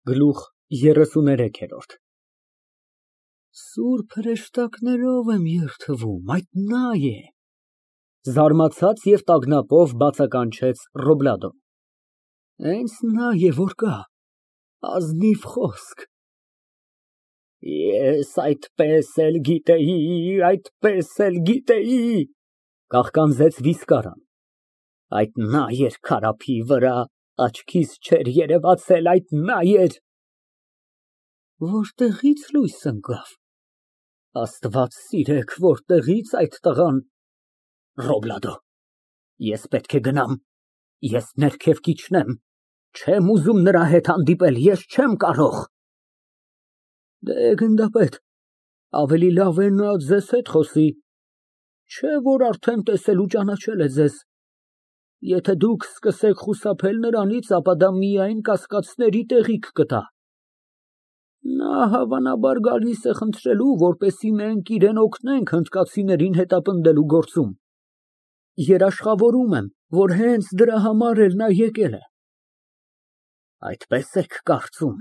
Գլուխ 33 Սուրբ հրեշտակներով եմ երդվում, այդ նա է։ (Զարմացած և տագնապով բացականչեց Ռոբլադոն) Հենց նա է, որ կա, ազնիվ խոսք։ Ես այդպես էլ գիտեի, կաղկանձեց Վիսկարան, այդ նա էր քարափի վրա, աչքիս չէր երևացել, այդ նա էր։ Որտեղի՞ց լույս ընկավ, Աստված սիրեք, որտեղի՞ց այդ տղան։ Ռոբլադո, ես պետք է գնամ, ես ներքև կիջնեմ, չեմ ուզում նրա հետ հանդիպել, ես չեմ կարող։ Դե, գնդապետ, ավելի լավ է նա ձեզ հետ խոսի, չէ որ արդեն տեսել ու ճանաչել է ձեզ։ Եթե դուք սկսեք խուսափել նրանից, ապա դա միայն կասկածների տեղիք կտա։ Նա հավանաբար գալիս է խնդրելու, որպեսզի մենք իրան օգնենք հնդկացիներին հետապնդելու գործում։ Երաշխավորում եմ, որ հենց դրա համար էլ նա եկել է։ Այդպես եք կարծում,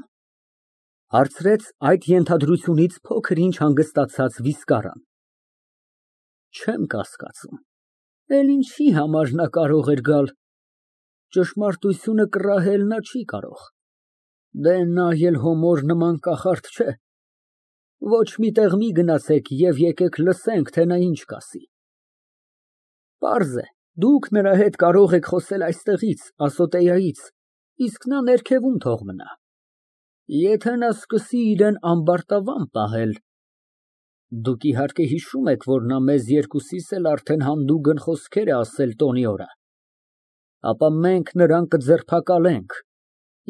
հարցրեց այդ ենթադրությունից փոքր-ինչ հանգստացած Վիսկարան։ Չեմ կասկածում, էլ ինչի համար նա կարող էր գալ, ճշմարտությունը կռահել նա չի կարող։ Դե նա էլ հոմոր նման կախարդ չէ։ Ոչ մի տեղ մի գնացեք և եկեք լսենք, թե նա ինչ կասի։ Պարզ է, դուք նրա հետ կարող եք խոսել այստեղից, ասոտեայից, իսկ նա ներքևում թող մնա։ Եթե նա սկսի իրան ամբարտավան պահել, դուք իհարկե հիշում եք, որ նա մեզ երկուսիս էլ արդեն հանդուգն խոսքեր է ասել տոնի օրը, ապա մենք նրան կձերբակալենք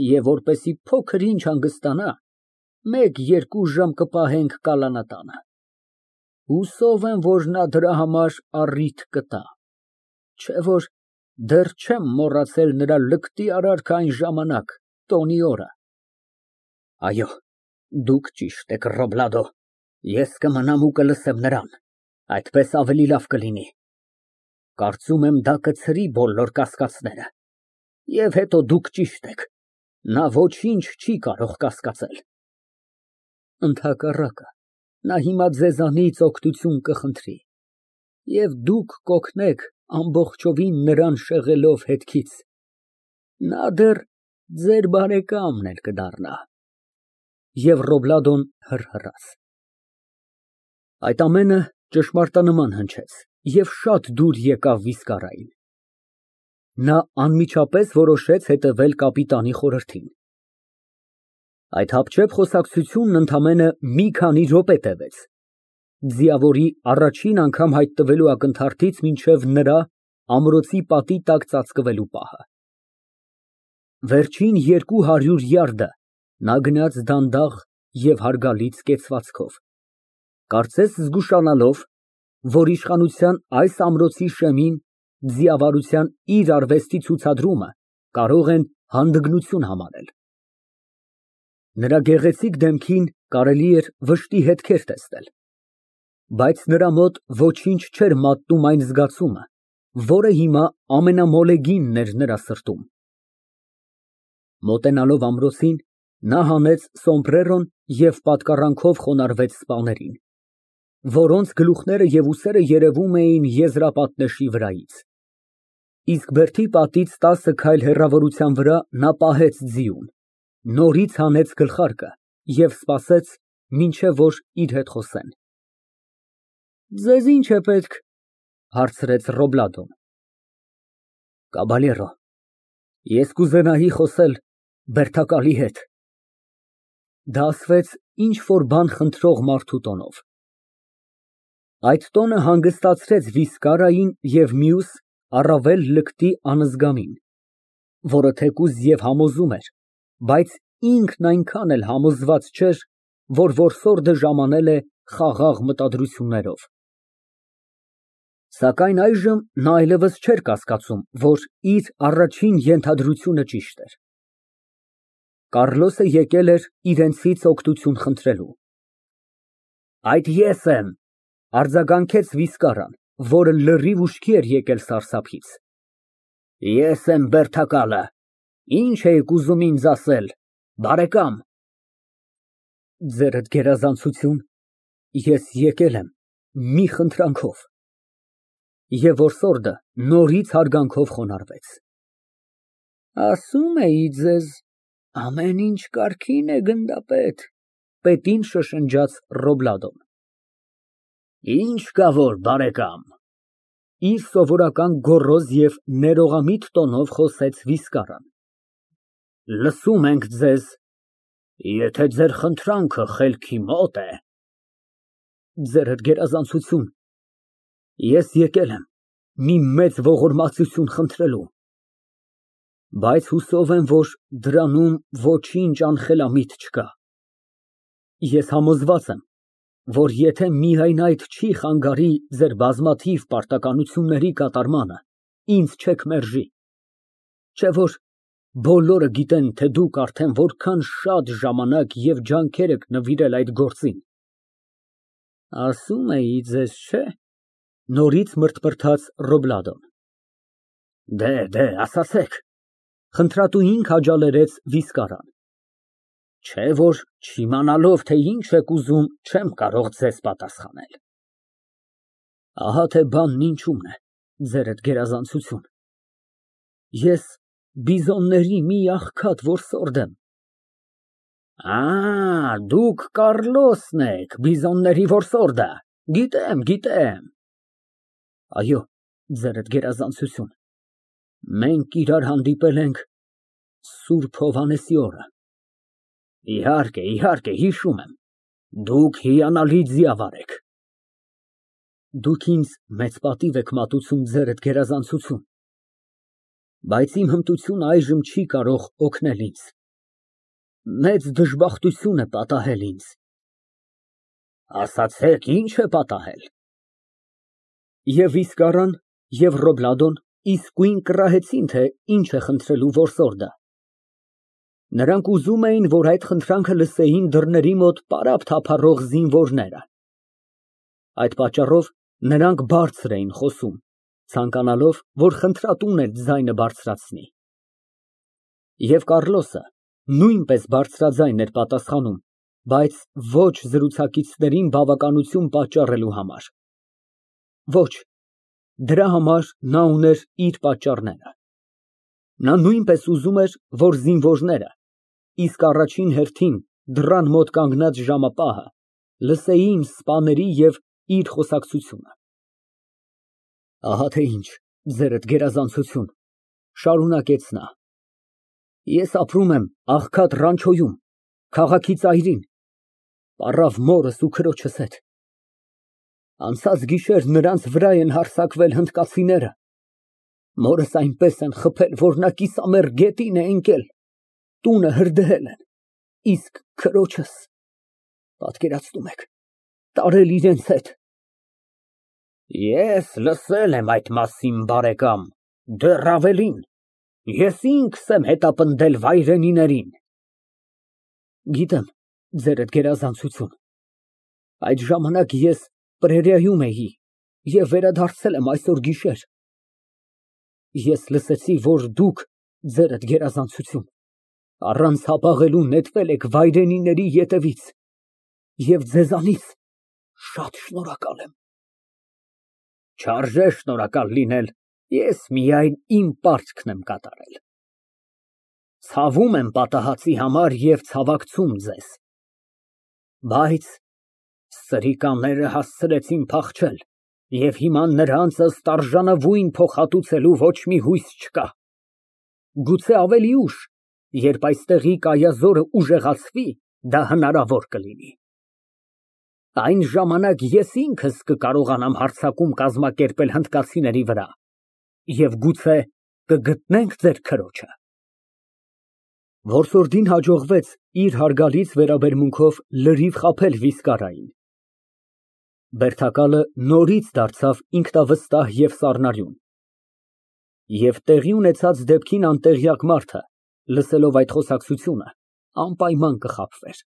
և որպեսզի փոքր-ինչ հանգստանա, 1-2 ժամ կպահենք կալանատանը։ Հուսով եմ, որ նա դրա համար առիթ կտա, չէ որ դեռ չեմ մոռացել նրա լկտի արարքը այն ժամանակ, տոնի օրը։ Այո, դուք ճիշտ եք, Ռոբլադո, ես կմնամ ու կլսեմ նրան, այդպես ավելի լավ կլինի։ Կարծում եմ, դա կցրի բոլոր կասկածները։ Եվ հետո դուք ճիշտ եք, նա ոչինչ չի կարող կասկածել։ Ընդհակառակը, նա հիմա ձեզանից օգնություն կխնդրի, և դուք կօգնեք ամբողջովին նրան շեղելով հետքից։ Նա դեռ ձեր բարեկամն էլ կդառնա։ Եվ Ռոբլադոն հռհռաց։ Այդ ամենը ճշմարտանման հնչեց և շատ դուր եկավ Վիսկարային։ Նա անմիջապես որոշեց հետևել կապիտանի խորհրդին։ Այդ հապճեպ խոսակցությունն ընդամենը մի քանի րոպե տևեց, ձիավորի առաջին անգամ հայտնվելու ակնթարթից մինչև նրա ամրոցի պատի տակ ծածկվելու պահը։ Վերջին 200 յարդը նա գնաց դանդաղ և հարգալից կեցվածքով, կարծես զգուշանալով, որ իշխանության այս ամրոցի շեմին ձիավարության իր արվեստի ցուցադրումը կարող են հանդգնություն համարել։ Նրա գեղեցիկ դեմքին կարելի էր վշտի հետքեր տեսնել, բայց նրա մոտ ոչինչ չէր մատնում այն զգացումը, որը հիմա ամենամոլեգինն էր նրա սրտում։ Մոտենալով ամրոցին, նա հանեց սոմբրերոն և պատկառանքով խոնարհվեց սպաներին, որոնց գլուխները և ուսերը երևում էին եզրապատնեշի վրայից։ Իսկ բերդի պատից 10 քայլ հեռավորության վրա նա պահեց ձիուն, նորից հանեց գլխարկը և սպասեց, մինչև որ իր հետ խոսեն։ Ձեզ ի՞նչ է պետք, հարցրեց Ռոբլադոն։ Կաբալերո, ես կուզենայի խոսել բերդակալի հետ։ Դա ասվեց ինչ֊որ բան խնդրող մարդու տոնով։ Այդ տոնը հանգստացրեց Վիսկարային և մյուս առավել լկտի անզգամին, որը թեկուզ և համոզում էր, բայց ինքն այնքան էլ համոզված չէր, որ որսորդը ժամանել է խաղաղ մտադրություններով։ Սակայն այժմ նա այլևս չէր կասկածում, որ իր առաջին ենթադրությունը ճիշտ էր։ Կառլոսը եկել էր իրենցից օգնություն խնդրելու։ Այդ ես եմ, արձագանքեց Վիսկարան, որը լրիվ ուշքի էր եկել սարսափից։ Ես եմ բերդակալը, ինչ էիք ուզում ինձ ասել, բարեկամ։ Ձերդ գերազանցություն, ես եկել եմ մի խնդրանքով։ Եվ որսորդը նորից հարգանքով խոնարհվեց։ Ասում էի ձեզ, ամեն ինչ կարգին է, գնդապետ, պետին շշնջաց Ռոբլադոն։ Ինչ կա որ, բարեկամ, իր սովորական գոռոզ և ներողամիտ տոնով խոսեց Վիսկարան։ Լսում ենք ձեզ, եթե ձեր խնդրանքը խելքի մոտ է։ Ձերդ գերազանցություն, ես եկել եմ մի մեծ ողորմածություն խնդրելու, բայց հուսով եմ, որ դրանում ոչինչ անխելամիտ չկա։ Ես համոզված եմ, որ եթե միայն այդ չի խանգարի ձեր բազմաթիվ պարտականությունների կատարմանը, ինձ չեք մերժի, չէ՞ որ բոլորը գիտեն, թե դուք արդեն որքան շատ ժամանակ և ջանքեր եք նվիրել այդ գործին։ Ասում էի ձեզ, չէ՞, նորից մրթմրթաց Ռոբլադոն։ Դե, ասացեք, խնդրատուին քաջալերեց Վիսկարան։ Չէ՞ որ չիմանալով, թե ինչ եք ուզում, չեմ կարող ձեզ պատասխանել։ Ահա թե բանն ինչումն է, ձերդ գերազանցություն, ես բիզոնների մի աղքատ որսորդ եմ։ Դուք Կառլոսն եք, բիզոնների որսորդը, գիտեմ։ Այո, ձերդ գերազանցություն, մենք իրար հանդիպել ենք Սուրբ Հովհաննեսի օրը։ Իհարկե, հիշում եմ, դուք հիանալի ձիավար եք։ Դուք ինձ մեծ պատիվ եք մատուցում, ձերդ գերազանցություն, բայց իմ հմտությունն այժմ չի կարող օգնել ինձ։ Մեծ դժբախտություն է պատահել ինձ։ Ասացեք, ինչ է պատահել։ Եվ Վիսկարան, և Ռոբլադոն իսկույն կռահեցին, թե ինչ է խնդրելու որսորդը։ Նրանք ուզում էին, որ այդ խնդրանքը լսեին դռների մոտ պարապ թափառող զինվորները։ Այդ պատճառով նրանք բարձր էին խոսում, ցանկանալով, որ խնդրատուն էլ ձայնը բարձրացնի։ Եվ Կառլոսը նույնպես բարձրաձայն էր պատասխանում, բայց ոչ զրուցակիցներին բավականություն պատճառելու համար։ Ոչ, դրա համար նա ուներ իր պատճառները։ Նա նույնպես ուզում էր, որ զինվորները, իսկ առաջին հերթին դռան մոտ կանգնած ժամապահը, լսեին սպաների և իր խոսակցությունը։ Ահա թե ինչ, ձերդ գերազանցություն, շարունակեց նա, ես ապրում եմ աղքատ Ռանչոյում, քաղաքի ծայրին, պառավ մորս ու քրոջս հետ։ Անցած գիշեր նրանց վրա են հարձակվել հնդկացիները, մորս այնպես են խփել, որ նա կիսամեռ գետին է ընկել, տունը հրդեհել են, իսկ քրոջս, պատկերացնում եք, տարել իրենց հետ։ Ես լսել եմ այդ մասին, բարեկամ, դեռ ավելին, ես ինքս եմ հետապնդել վայրենիներին։ Գիտեմ, ձերդ գերազանցություն, այդ ժամանակ ես պրերիայում էի և վերադարձել եմ այսօր գիշեր։ Ես լսեցի, որ դուք, ձերդ գերազանցություն, առանց հապաղելու նետվել եք վայրենիների ետևից և ձեզանից շատ շնորհակալ եմ։ Չարժե շնորհակալ լինել, ես միայն իմ պարտքն եմ կատարել։ Ցավում եմ պատահածի համար և ցավակցում ձեզ, բայց սրիկաները հասցրեցին փախչել և հիմա նրանց ըստ արժանավուն փոխհատուցելու ոչ մի հույս չկա։ Գուցե ավելի ուշ, երբ այստեղի կայազորը ուժեղացվի, դա հնարավոր կլինի։ Այն ժամանակ ես ինքս կկարողանամ հարձակում կազմակերպել հնդկացիների վրա և գուցե կգտնենք ձեր քրոջը։ Որսորդին հաջողվեց իր հարգալից վերաբերմունքով լրիվ խաբել Վիսկարային։ Բերդակալը նորից դարձավ ինքնավստահ և սառնարյուն։ Եվ տեղի ունեցած դեպքին անտեղյակ մարդը, լսելով այդ խոսակցությունը, անպայման կխաբվեր։